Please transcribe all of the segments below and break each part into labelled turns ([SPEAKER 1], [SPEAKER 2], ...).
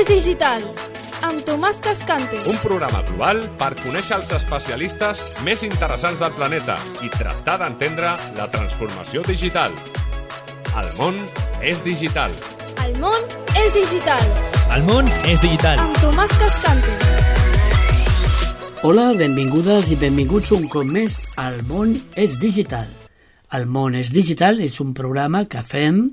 [SPEAKER 1] digital, amb Tomàs Cascante.
[SPEAKER 2] Un programa global per conèixer els especialistes més interessants del planeta i tractar d'entendre la transformació digital. El món és digital.
[SPEAKER 1] El món és digital.
[SPEAKER 3] El món és digital.
[SPEAKER 1] Amb Tomàs Cascante.
[SPEAKER 4] Hola, benvingudes i benvinguts un cop més al món és digital. El món és digital és un programa que fem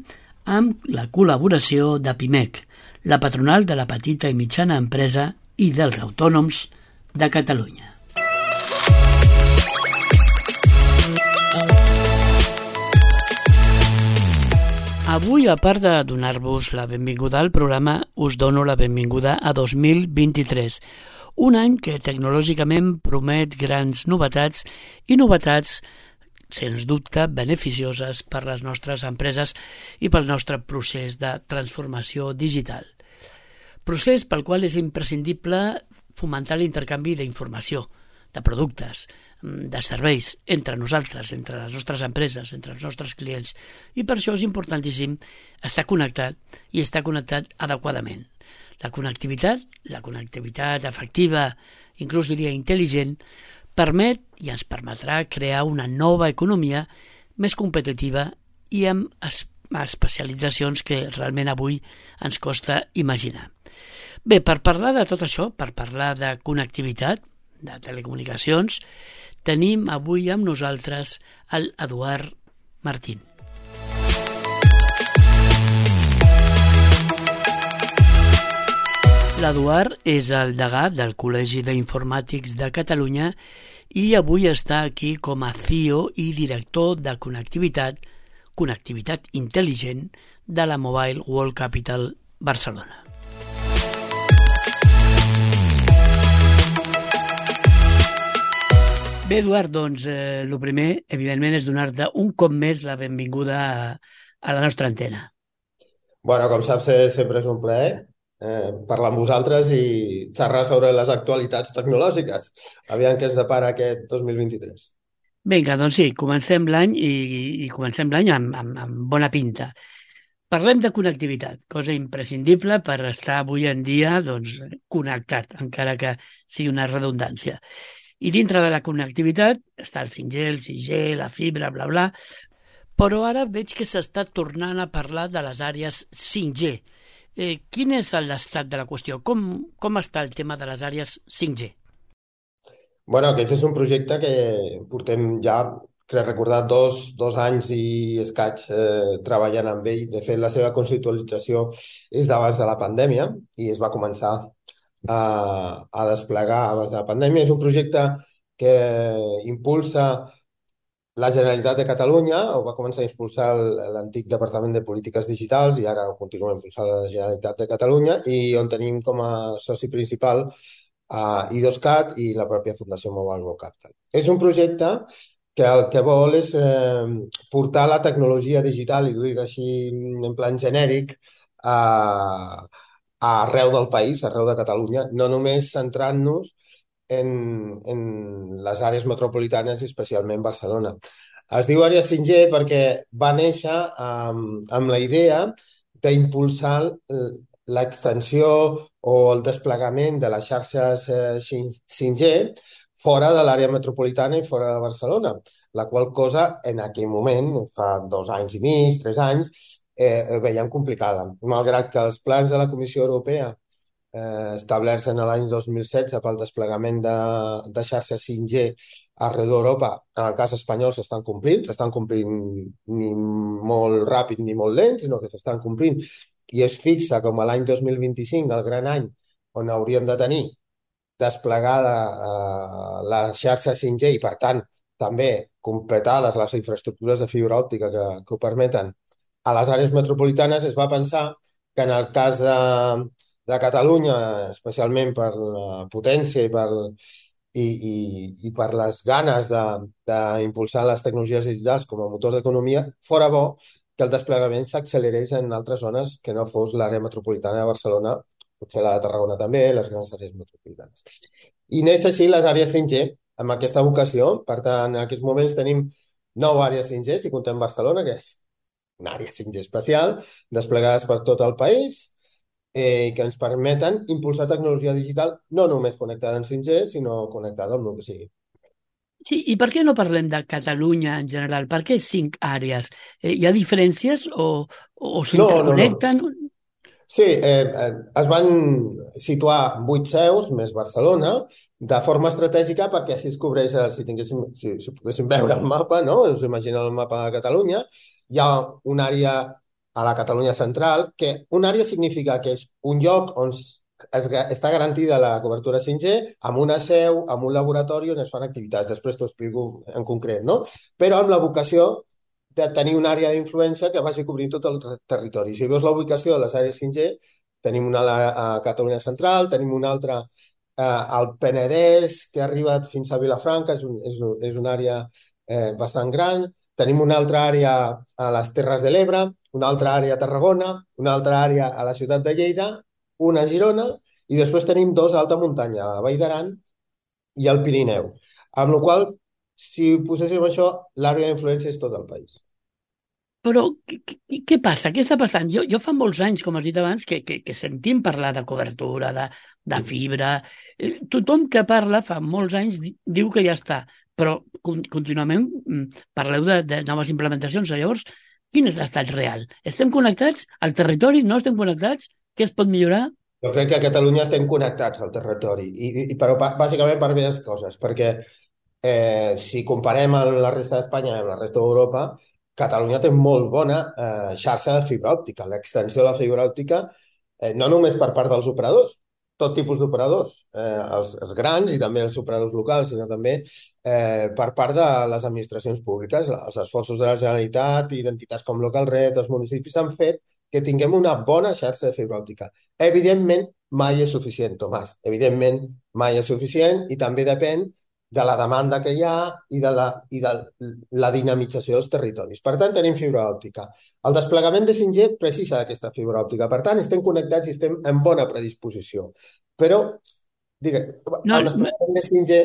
[SPEAKER 4] amb la col·laboració de PIMEC, la patronal de la petita i mitjana empresa i dels autònoms de Catalunya. Avui, a part de donar-vos la benvinguda al programa, us dono la benvinguda a 2023, un any que tecnològicament promet grans novetats i novetats, sens dubte, beneficioses per les nostres empreses i pel nostre procés de transformació digital. Procés pel qual és imprescindible fomentar l'intercanvi d'informació, de productes, de serveis entre nosaltres, entre les nostres empreses, entre els nostres clients. I per això és importantíssim estar connectat i estar connectat adequadament. La connectivitat efectiva, inclús diria intel·ligent, permet i ens permetrà crear una nova economia més competitiva i amb especialitzacions que realment avui ens costa imaginar. Bé, per parlar de tot això, per parlar de connectivitat, de telecomunicacions, tenim avui amb nosaltres l'Eduard Martín. L'Eduard és el degà del Col·legi d'Informàtics de Catalunya i avui està aquí com a CEO i director de connectivitat intel·ligent de la Mobile World Capital Barcelona. Bé, Eduard, doncs el primer, evidentment, és donar-te un cop més la benvinguda a la nostra antena.
[SPEAKER 5] Bueno, com saps, sempre és un plaer parlar amb vosaltres i xerrar sobre les actualitats tecnològiques. Aviam què ens depara aquest 2023.
[SPEAKER 4] Vinga, doncs sí, comencem l'any i comencem l'any amb bona pinta. Parlem de connectivitat, cosa imprescindible per estar avui en dia doncs, connectat, encara que sigui una redundància. I dintre de la connectivitat està el 5G, el 6G, la fibra, bla, bla, però ara veig que s'està tornant a parlar de les àrees 5G. Quin és l'estat de la qüestió? Com està el tema de les àrees 5G?
[SPEAKER 5] Bueno, aquest és un projecte que portem ja, crec recordar, dos anys i escaig treballant amb ell. De fet, la seva conceptualització és d'abans de la pandèmia i es va començar a desplegar abans de la pandèmia. És un projecte que impulsa la Generalitat de Catalunya, ho va començar a impulsar l'antic Departament de Polítiques Digitals i ara ho continua impulsant la Generalitat de Catalunya, i on tenim com a soci principal I2CAT i la pròpia Fundació Mobile World Capital. És un projecte que el que vol és portar la tecnologia digital, i ho dic així en plan genèric, arreu del país, arreu de Catalunya, no només centrant-nos en les àrees metropolitanes i especialment Barcelona. Es diu àrea 5G perquè va néixer amb la idea d'impulsar l'extensió o el desplegament de les xarxes 5G fora de l'àrea metropolitana i fora de Barcelona, la qual cosa en aquell moment, fa 2 anys i mig, 3 anys, veiem complicada. Malgrat que els plans de la Comissió Europea establerts en l'any 2016 pel desplegament de xarxes 5G arreu d'Europa, en el cas espanyol s'estan complint ni molt ràpid ni molt lent, sinó que s'estan complint, i es fixa com a l'any 2025 el gran any on hauríem de tenir desplegada la xarxa 5G i, per tant, també completades les infraestructures de fibra òptica que ho permeten a les àrees metropolitanes. Es va pensar que en el cas de Catalunya, especialment per la potència i per les ganes d'impulsar les tecnologies digitals com a motor d'economia, fora bo que el desplegament s'accelerés en altres zones que no fos l'àrea metropolitana de Barcelona, potser la de Tarragona també, les grans àrees metropolitanes. I neix així les àrees 5G, amb aquesta vocació. Per tant, en aquests moments tenim 9 àrees 5G, si comptem Barcelona, que és una àrea 5G especial, desplegades per tot el país, que ens permeten impulsar tecnologia digital no només connectada en 5G, sinó connectada amb el que sigui.
[SPEAKER 4] Sí, i per què no parlem de Catalunya en general? Per què 5 àrees? Hi ha diferències o
[SPEAKER 5] No.
[SPEAKER 4] s'interconnecten?
[SPEAKER 5] Sí, es van situar 8 seus, més Barcelona, de forma estratègica perquè així es cobreix, si poguéssim veure el mapa, no? Us imagineu el mapa de Catalunya, hi ha una àrea a la Catalunya central, que una àrea significa que és un lloc on està garantida la cobertura 5G, amb una seu, amb un laboratori on es fan activitats. Després t'ho explico en concret, no? Però amb la vocació de tenir una àrea d'influència que vagi cobrint tot el territori. Si veus la ubicació de les àrees 5G, tenim una a Catalunya Central, tenim una altra al Penedès, que ha arribat fins a Vilafranca, és una àrea bastant gran. Tenim una altra àrea a les Terres de l'Ebre, una altra àrea a Tarragona, una altra àrea a la ciutat de Lleida, una a Girona, i després tenim 2 a alta muntanya, a la Vall d'Aran i al Pirineu. Amb la qual cosa, si poséssim això, l'àrea d'influència és tot el país.
[SPEAKER 4] Però què passa? Què està passant? Jo fa molts anys, com has dit abans, que sentim parlar de cobertura, de fibra. Tothom que parla fa molts anys diu que ja està, però contínuament parleu de noves implementacions. Llavors, quin és l'estat real? Estem connectats al territori? No estem connectats? Què es pot millorar?
[SPEAKER 5] Jo crec que a Catalunya estem connectats al territori, però bàsicament per diverses coses, perquè si comparem amb la resta d'Espanya i amb la resta d'Europa, Catalunya té molt bona xarxa de fibra òptica. L'extensió de la fibra òptica, no només per part dels operadors, tot tipus d'operadors, els grans i també els operadors locals, sinó també per part de les administracions públiques. Els esforços de la Generalitat i d'entitats com Localret, els municipis han fet que tinguem una bona xarxa de fibra òptica. Evidentment, mai és suficient, Tomàs. Evidentment, mai és suficient i també depèn de la demanda que hi ha i de la dinamització dels territoris. Per tant, tenim fibra òptica. El desplegament de 5G precisa d'aquesta fibra òptica. Per tant, estem connectats i estem en bona predisposició. Però, el desplegament de 5G,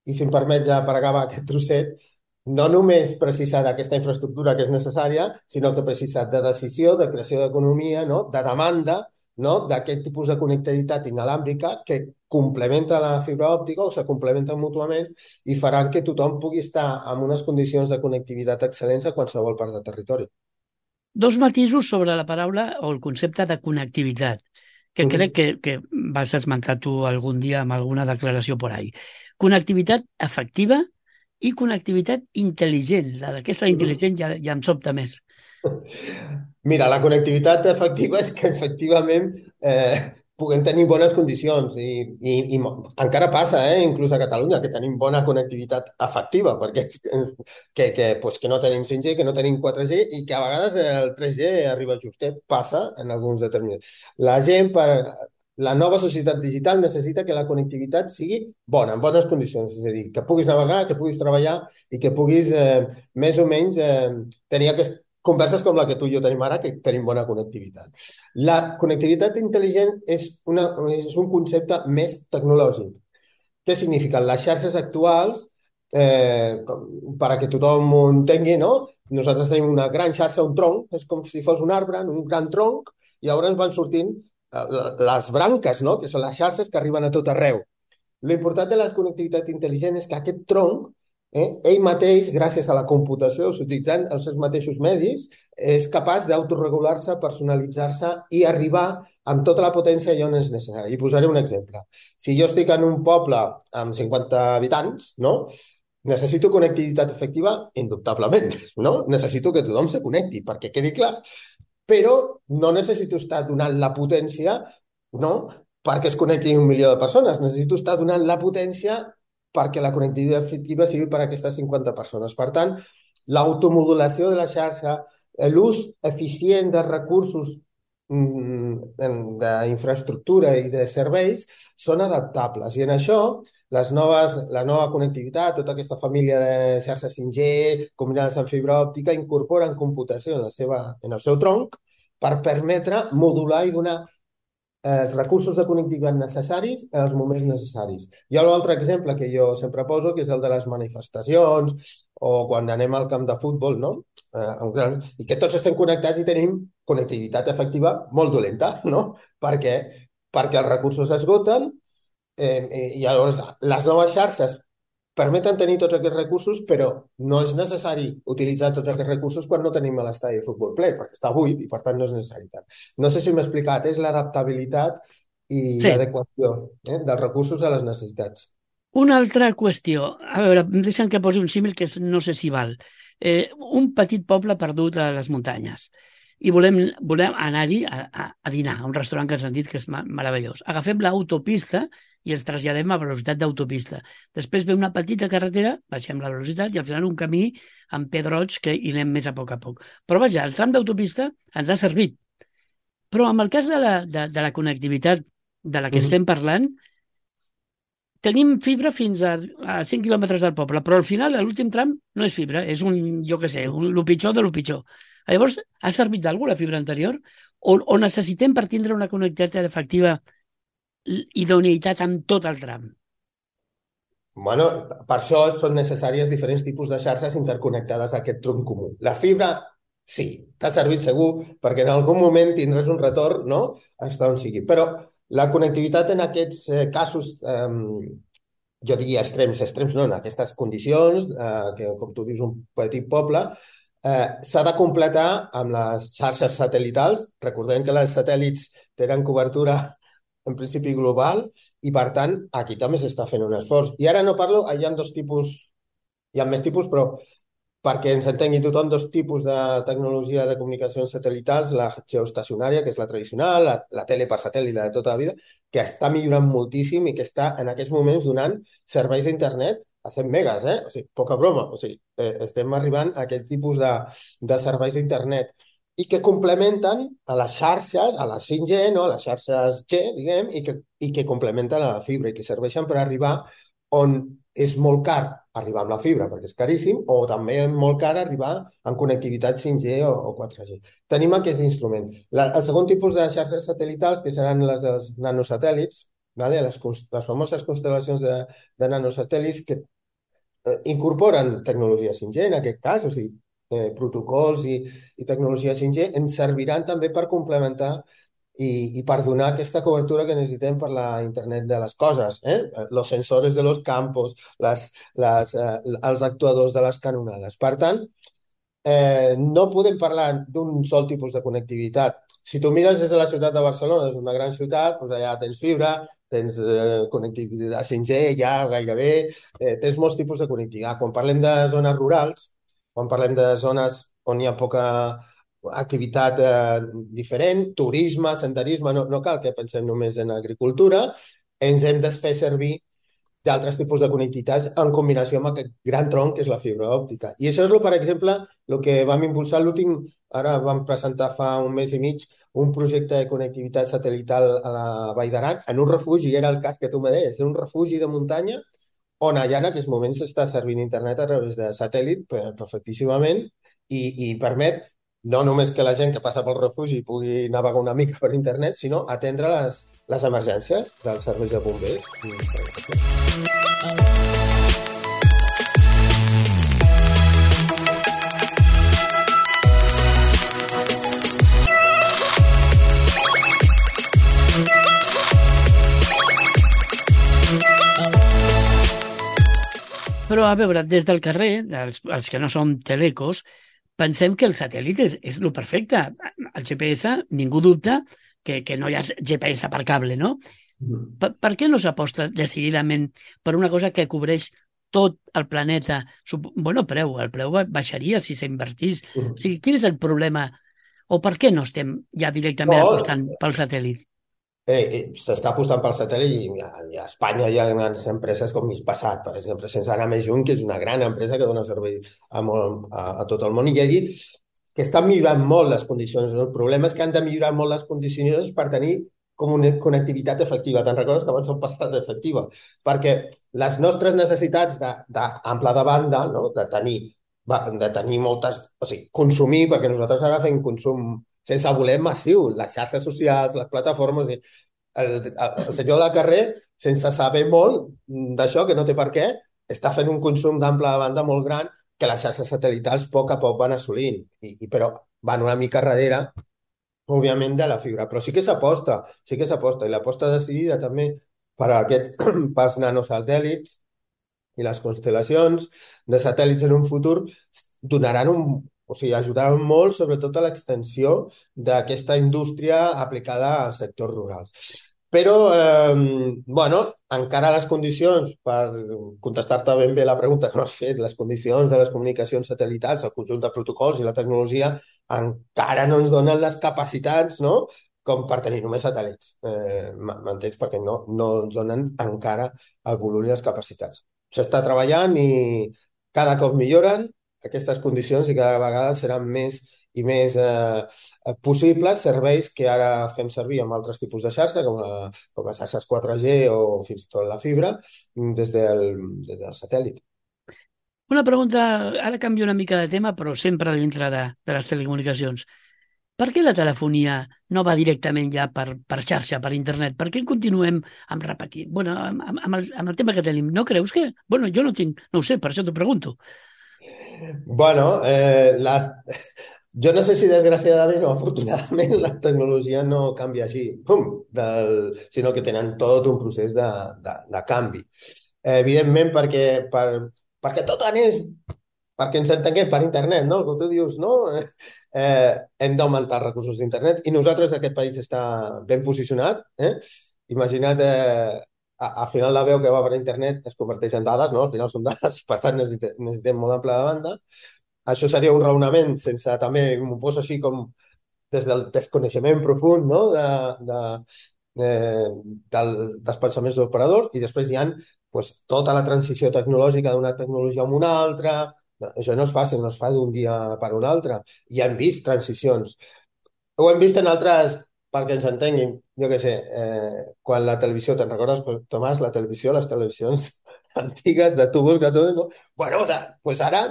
[SPEAKER 5] i si em permets ja per acabar aquest trosset, no només precisa d'aquesta infraestructura que és necessària, sinó que precisa de decisió, de creació d'economia, no? De demanda, no? D'aquest tipus de connectivitat inalàmbrica que complementa la fibra òptica o se complementen mútuament i faran que tothom pugui estar en unes condicions de connectivitat excel·lents a qualsevol part del territori.
[SPEAKER 4] 2 matisos sobre la paraula o el concepte de connectivitat, que crec que vas esmentar tu algun dia amb alguna declaració por ahí. Connectivitat efectiva i connectivitat intel·ligent. D'aquesta intel·ligent ja em sobta més.
[SPEAKER 5] Mira, la connectivitat efectiva és que efectivament puguem tenir bones condicions i encara passa, inclús a Catalunya, que tenim bona connectivitat efectiva, perquè que no tenim 5G, que no tenim 4G i que a vegades el 3G arriba justet, passa en alguns determinats. La nova societat digital necessita que la connectivitat sigui bona, en bones condicions, és a dir, que puguis navegar, que puguis treballar i que puguis més o menys tenir converses com la que tu i jo tenim ara, que tenim bona connectivitat. La connectivitat intel·ligent és un concepte més tecnològic. Què signifiquen? Les xarxes actuals, perquè tothom ho entengui, no? Nosaltres tenim una gran xarxa, un tronc, és com si fos un arbre, un gran tronc, i llavors van sortint les branques, no? Que són les xarxes que arriben a tot arreu. L'important de la connectivitat intel·ligent és que aquest tronc, ell mateix, gràcies a la computació, utilitzant els seus mateixos medis, és capaç d'autoregular-se, personalitzar-se i arribar amb tota la potència allà on és necessari. I posaré un exemple. Si jo estic en un poble amb 50 habitants, no? Necessito connectivitat efectiva? Indubtablement, no? Necessito que tothom se connecti, perquè quedi clar. Però no necessito estar donant la potència, no?, perquè es connectin 1 milió de persones. Necessito estar donant la potència perquè la connectivitat efectiva sigui per a aquestes 50 persones. Per tant, l'automodulació de la xarxa, l'ús eficient de recursos d'infraestructura i de serveis són adaptables. I en això, la nova connectivitat, tota aquesta família de xarxes 5G combinades amb fibra òptica, incorporen computació en el seu tronc per permetre modular i donar els recursos de connectivitat necessaris en els moments necessaris. Hi ha un altre exemple que jo sempre poso, que és el de les manifestacions o quan anem al camp de futbol, no? I que tots estem connectats i tenim connectivitat efectiva molt dolenta, no? Perquè els recursos s'esgoten i llavors les noves xarxes permeten tenir tots aquests recursos, però no és necessari utilitzar tots aquests recursos quan no tenim l'estadi de futbol ple, perquè està buit i per tant no és necessari. No sé si m'he explicat, és l'adaptabilitat i
[SPEAKER 4] Sí.
[SPEAKER 5] l'adequació dels recursos a les necessitats.
[SPEAKER 4] Una altra qüestió. A veure, deixa'm que posi un símil que no sé si val. Un petit poble perdut a les muntanyes i volem anar-hi a dinar, a un restaurant que ens han dit que és meravellós. Agafem l'autopista i ens traslladem a velocitat d'autopista. Després ve una petita carretera, baixem la velocitat i al final un camí amb pedrots que hi anem més a poc. Però vaja, el tram d'autopista ens ha servit. Però en el cas de la connectivitat de la que estem parlant, tenim fibra fins a 5 quilòmetres del poble, però al final, a l'últim tram, no és fibra, és jo què sé, lo pitjor de lo pitjor. Llavors, ha servit d'algú la fibra anterior? O necessitem per tindre una connectivitat efectiva idoneïtat en tot el tram?
[SPEAKER 5] Bueno, per això són necessàries diferents tipus de xarxes interconnectades a aquest tronc comú. La fibra, sí, t'ha servit segur, perquè en algun moment tindràs un retorn, no?, hasta on sigui. Però la connectivitat en aquests casos, jo diria extrems no, en aquestes condicions, que com tu dius, un petit poble, s'ha de completar amb les xarxes satèl·litals. Recordem que els satèl·lits tenen cobertura en principi global i, per tant, aquí també s'està fent un esforç. I ara no parlo, hi ha dos tipus, hi ha més tipus, però perquè ens entengui tothom, dos tipus de tecnologia de comunicacions satèl·litals, la geoestacionària, que és la tradicional, la tele per satèl·lit, la de tota la vida, que està millorant moltíssim i que està en aquests moments donant serveis d'internet a 100 megas, O sigui, poca broma. O sigui, estem arribant a aquest tipus de serveis d'internet i que complementen a les xarxes, a les 5G, no? A les xarxes G, diguem, i que complementen a la fibra i que serveixen per arribar on és molt car arribar amb la fibra, perquè és caríssim, o també és molt car arribar en connectivitat 5G o 4G. Tenim aquest instrument. El segon tipus de xarxes satèl·litals, que seran les dels nanosatèl·lits, vale? Les famoses constel·lacions de nanosatèl·lits que incorporen tecnologia 5G, en aquest cas, o sigui, protocols i tecnologia 5G, ens serviran també per complementar i per donar aquesta cobertura que necessitem per la internet de les coses, los sensores de los campos, els actuadors de les canonades. Per tant, no podem parlar d'un sol tipus de connectivitat. Si tu mires des de la ciutat de Barcelona, és una gran ciutat, doncs allà tens fibra, tens connectivitat 5G, ja gairebé, tens molts tipus de connectivitat. Quan parlem de zones rurals, quan parlem de zones on hi ha poca activitat diferent, turisme, senderisme, no cal que pensem només en agricultura, ens hem de fer servir d'altres tipus de connectivitats en combinació amb aquest gran tronc que és la fibra òptica. I això és, per exemple, el que vam impulsar l'últim, ara vam presentar fa un mes i mig, un projecte de connectivitat satèl·lital a la Vall d'Aran, en un refugi, era el cas que tu me deies, un refugi de muntanya on allà en aquests moments s'està servint internet a través de satèl·lit perfectíssimament i permet no només que la gent que passa pel refugi pugui navegar una mica per internet, sinó atendre les emergències dels serveis de bombers.
[SPEAKER 4] Però, a veure, des del carrer, els que no som telecos, pensem que el satèl·lit és el perfecte. El GPS, ningú dubta que no hi ha GPS per cable, no? Per què no s'aposta decididament per una cosa que cobreix tot el planeta? Bueno, el preu baixaria si s'invertís. O sigui, quin és el problema? O per què no estem ja directament apostant pel satèl·lit?
[SPEAKER 5] S'està apostant pel satèl·lit i a Espanya hi ha grans empreses com Hispasat, per exemple, sense anar més lluny, que és una gran empresa que dona servei a tot el món. I ja he dit que estan millorant molt les condicions. El problema és que han de millorar molt les condicions per tenir com una connectivitat efectiva. Te'n recordes que abans hem passat d'efectiva? Perquè les nostres necessitats d'ample de banda, no? de tenir moltes... O sigui, consumir, perquè nosaltres ara fem consum sense voler massiu, les xarxes socials, les plataformes... El senyor del carrer, sense saber molt d'això, que no té per què, està fent un consum d'ample de banda molt gran que les xarxes satèl·litals a poc van assolint, però van una mica darrere òbviament, de la fibra. Però sí que s'aposta, i l'aposta decidida també per a aquests pas nanosatèl·lits i les constel·lacions de satèl·lits en un futur donaran o sigui, ajudaran molt, sobretot a l'extensió d'aquesta indústria aplicada als sectors rurals. Però, bueno, encara les condicions, per contestar-te ben bé la pregunta que m'has fet, les condicions de les comunicacions satelitals, el conjunt de protocols i la tecnologia encara no ens donen les capacitats, no?, com per tenir només satèl·lits. M'entens? Perquè no ens donen encara el volum i les capacitats. S'està treballant i cada cop milloren aquestes condicions i cada vegada seran més i més possibles serveis que ara fem servir amb altres tipus de xarxa, com les xarxes 4G o fins i tot la fibra, des del satèl·lit.
[SPEAKER 4] Una pregunta, ara canvio una mica de tema, però sempre dintre de les telecomunicacions. Per què la telefonia no va directament ja per xarxa, per internet? Per què continuem amb repetir? Bueno, amb el tema que tenim, no creus que... Bueno, jo no ho sé, per això t'ho pregunto.
[SPEAKER 5] Bueno, jo no sé si desgraciadament o afortunadament la tecnologia no canvia així, sinó que tenen tot un procés de canvi. Evidentment, perquè tot anés, perquè ens entenguem, per internet, no? Com tu dius, no? Hem d'augmentar els recursos d'internet i nosaltres, aquest país, està ben posicionat. Imagina't, al final la veu que va per internet es converteix en dades, no? Al final són dades, per tant necessitem molt ample de banda. Això seria un raonament sense, també m'ho poso així com des del desconeixement profund, no?, dels pensaments dels operadors, i després hi ha pues, tota la transició tecnològica d'una tecnologia a una altra. Això no és fàcil, no es fa d'un dia per un altre. I hem vist transicions. Ho hem vist en altres, perquè ens entenguin, jo què sé, quan la televisió, te'n recordes, Tomàs, la televisió, les televisions antigues de tubos que tot, no? Bueno, pues ara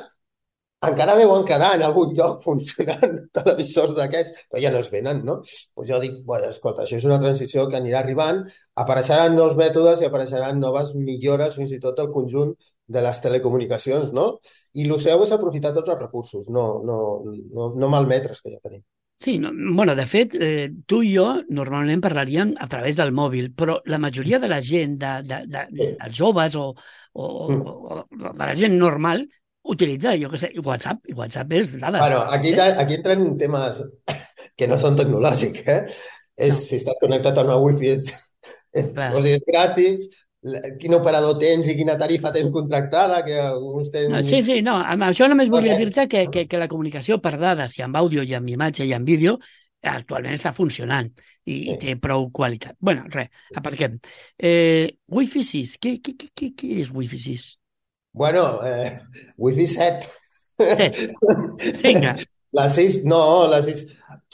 [SPEAKER 5] encara deuen quedar en algun lloc funcionant televisors d'aquests, però ja no es venen, no? Pues jo dic, bueno, escolta, això és una transició que anirà arribant, apareixeran nous mètodes i apareixeran noves millores, fins i tot el conjunt de les telecomunicacions, no? I el seu és aprofitar tots els recursos, no malmetre's que ja tenim.
[SPEAKER 4] Sí, no, bueno, de fet, tu i jo normalment parlaríem a través del mòbil, però la majoria de la gent, dels joves o de la gent normal, utilitza, jo què sé, WhatsApp, i WhatsApp és dades.
[SPEAKER 5] Bueno, aquí entren temes que no són tecnològics, No. Si estàs connectat a una wifi o sigui, és gratis, quin operador tens i quina tarifa tens contractada, que alguns tenen...
[SPEAKER 4] No, sí, no, amb això només volia dir-te que la comunicació per dades, i amb àudio, i amb imatge, i amb vídeo, actualment està funcionant i té prou qualitat. Bueno, res, aparquem. Wi-Fi 6, què és Wi-Fi 6?
[SPEAKER 5] Bueno, Wi-Fi 7.
[SPEAKER 4] 7. Vinga.
[SPEAKER 5] La 6, no, la 6...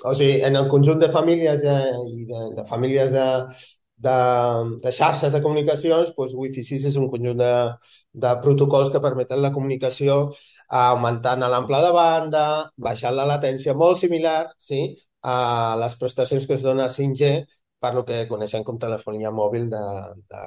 [SPEAKER 5] O sigui, en el conjunt de famílies i de famílies de xarxes de comunicacions, doncs Wi-Fi 6 és un conjunt de protocols que permeten la comunicació augmentant l'ample de banda, baixant la latència, molt similar, sí, a les prestacions que es dona a 5G, per lo que coneixem com telefonia mòbil de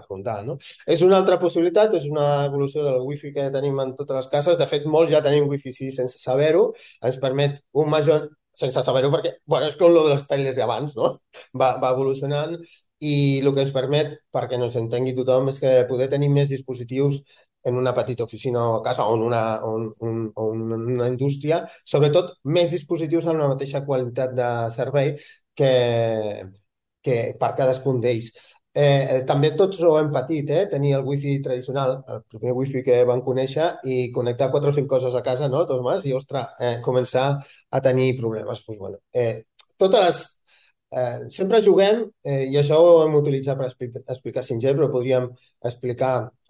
[SPEAKER 5] rondar, no? És una altra possibilitat, és una evolució del Wi-Fi que tenim en totes les cases. De fet, molts ja tenim Wi-Fi 6 sense saber-ho. Ens permet un major... Sense saber-ho perquè, bueno, és com lo de les teles d'abans, no? Va evolucionant i el que ens permet, perquè no s'entengui tothom, és que poder tenir més dispositius en una petita oficina o casa o en una indústria, sobretot més dispositius amb la mateixa qualitat de servei que per cadascun d'ells. També tots ho hem patit, tenir el wifi tradicional, el primer wifi que vam conèixer, i connectar 4 o 5 coses a casa, no, Tomàs? I, ostres, començar a tenir problemes. Pues, bueno, totes les... sempre juguem, i això ho hem utilitzat per explicar 5G, però podríem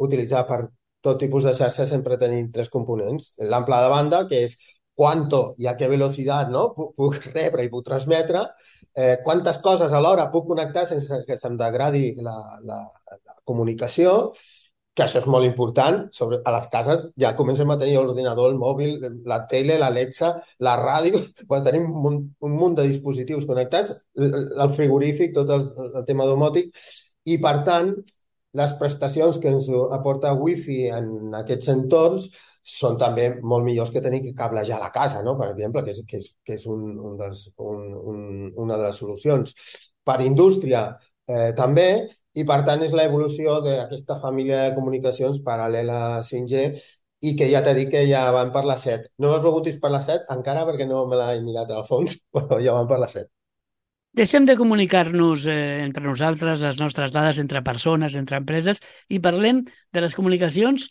[SPEAKER 5] utilitzar per tot tipus de xarxa, sempre tenim 3 components. L'ample de banda, que és quanto i a què velocitat, no? Puc rebre i puc transmetre, quantes coses alhora puc connectar sense que se'm degradi la comunicació, que això és molt important. A les cases ja comencem a tenir l'ordinador, el mòbil, la tele, l'Alexa, la ràdio, quan tenim un munt de dispositius connectats, el frigorífic, tot el tema domòtic, i per tant les prestacions que ens aporta Wi-Fi en aquests entorns són també molt millors que tenir que cablejar la casa, no? Per exemple, que és un una de les solucions. Per indústria també, i per tant és l'evolució d'aquesta família de comunicacions paral·lela a 5G i que ja t'he dit que ja van per la 7. No me preguntis per la 7 encara perquè no me l'he mirat al fons, però ja van per la 7.
[SPEAKER 4] Deixem de comunicar-nos entre nosaltres, les nostres dades entre persones, entre empreses, i parlem de les comunicacions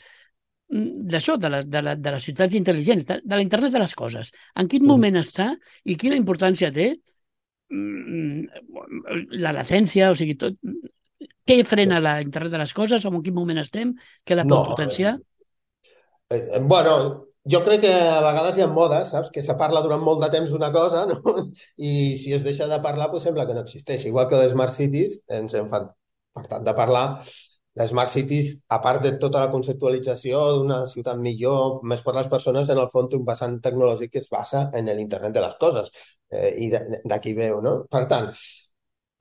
[SPEAKER 4] d'això, de les ciutats intel·ligents, de la internet de les coses. En quin moment està i quina importància té la latència, o sigui, tot... Què frena la internet de les coses o en quin moment estem? Què la pot potenciar?
[SPEAKER 5] Bueno, jo crec que a vegades hi ha modes, saps? Que se parla durant molt de temps d'una cosa, no? I si es deixa de parlar, doncs sembla que no existeix. Igual que les Smart Cities, ens en fan, per tant, de parlar. Les Smart Cities, a part de tota la conceptualització d'una ciutat millor, més per les persones, en el fons té un vessant tecnològic que es basa en l'internet de les coses. I d'aquí veu, no? Per tant,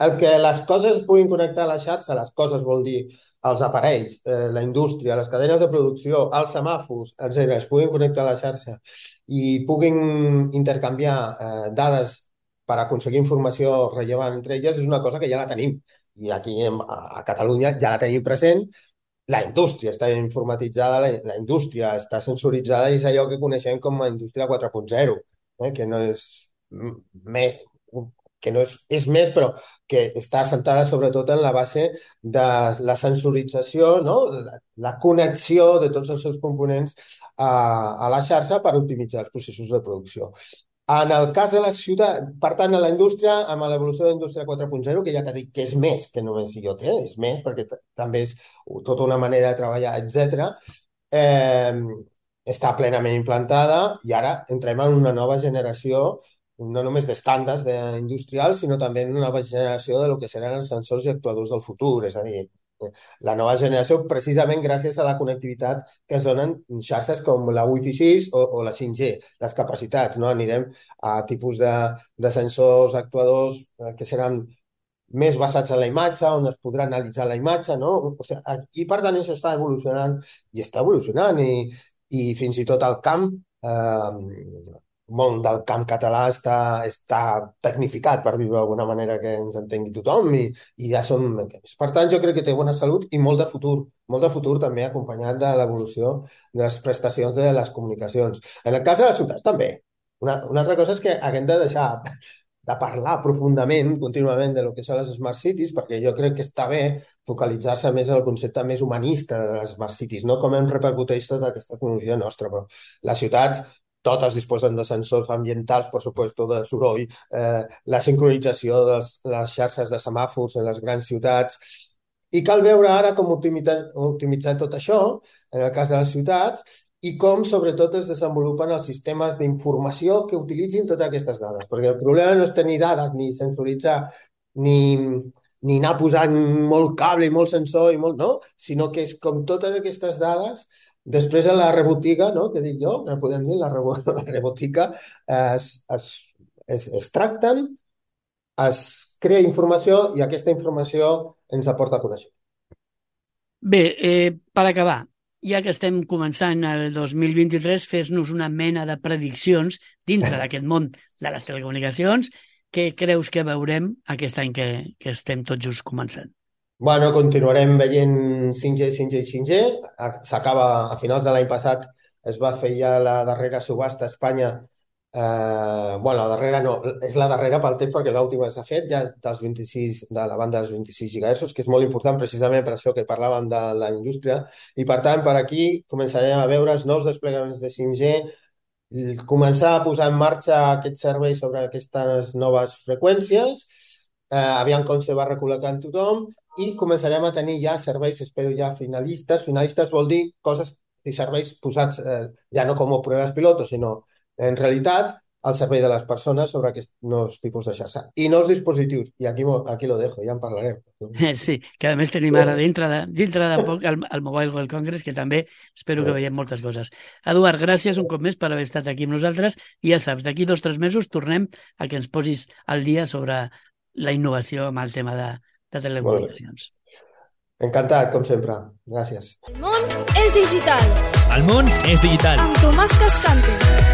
[SPEAKER 5] el que les coses es puguin connectar a la xarxa, les coses vol dir els aparells, la indústria, les cadenes de producció, els semàfors, etc., es puguin connectar a la xarxa i puguin intercanviar dades per aconseguir informació rellevant entre elles, és una cosa que ja la tenim. I aquí a Catalunya ja la tenim present. La indústria està informatitzada, la indústria està sensoritzada i és allò que coneixem com a indústria 4.0, que no és més... que no és més, però que està assentada sobretot en la base de la sensorització, no? La connexió de tots els seus components a la xarxa per optimitzar els processos de producció. En el cas de la ciutat, per tant, a la indústria, amb l'evolució de la indústria 4.0, que ja t'he dit que és més que només IoT, és més, perquè també és tota una manera de treballar, etc., està plenament implantada i ara entrem en una nova generació no només d'estàndards industrials, sinó també en una nova generació de lo que seran els sensors i actuadors del futur. És a dir, la nova generació precisament gràcies a la connectivitat que es donen xarxes com la Wi-Fi 6 o la 5G, les capacitats, no? Anirem a tipus de sensors, actuadors que seran més basats en la imatge, on es podrà analitzar la imatge, no? O sigui, i per tant això està evolucionant i està evolucionant i fins i tot el camp món del camp català està tecnificat, per dir-ho d'alguna manera, que ens entengui tothom i ja són... Per tant, jo crec que té bona salut i molt de futur també acompanyat de l'evolució de les prestacions de les comunicacions. En el cas de les ciutats també. Una altra cosa és que haguem de deixar de parlar profundament, contínuament, de lo que són les Smart Cities, perquè jo crec que està bé focalitzar-se més en el concepte més humanista de les Smart Cities, no com em repercuteix tota aquesta tecnologia nostra, però les ciutats totes disposen de sensors ambientals, per supuesto, de soroll, la sincronització de les xarxes de semàfors en les grans ciutats. I cal veure ara com optimitzar tot això, en el cas de les ciutats, i com, sobretot, es desenvolupen els sistemes d'informació que utilitzin totes aquestes dades. Perquè el problema no és tenir dades, ni sensoritzar, ni anar posant molt cable i molt sensor, no? Sinó que és com totes aquestes dades. Després a la rebotiga, no? Que dic jo, que podem dir, la rebotiga es tracten, es crea informació i aquesta informació ens aporta coneixement.
[SPEAKER 4] Bé, per acabar, ja que estem començant el 2023, fes-nos una mena de prediccions dintre d'aquest món de les telecomunicacions. Què creus que veurem aquest any que estem tots just començant?
[SPEAKER 5] Bueno, continuarem veient 5G. S'acaba, a finals de l'any passat, es va fer ja la darrera subhasta a Espanya. Bueno, la darrera no, és la darrera pel temps perquè l'última s'ha fet ja dels 26, de la banda dels 26 GHz, que és molt important precisament per això que parlàvem de la indústria. I per tant, per aquí començarem a veure els nous desplegaments de 5G, començar a posar en marxa aquests serveis sobre aquestes noves freqüències, aviam com se va recol·locant tothom, i començarem a tenir ja serveis, espero ja finalistes. Finalistes vol dir coses i serveis posats ja no com a proves pilotos, sinó en realitat al servei de les persones sobre aquests nous tipus de xarxa. I nous dispositius, i aquí lo dejo, ja en parlarem.
[SPEAKER 4] Sí, que a més tenim ara dintre de poc el Mobile World Congress, que també espero que veiem moltes coses. Eduard, gràcies un cop més per haver estat aquí amb nosaltres, i ja saps, d'aquí 2 o 3 mesos tornem a que ens posis al dia sobre la innovació amb el tema de telecomunicacions.
[SPEAKER 5] Encantat, com sempre. Gràcies.
[SPEAKER 1] El món és digital.
[SPEAKER 3] El món és digital.
[SPEAKER 1] Amb Tomàs Cascante.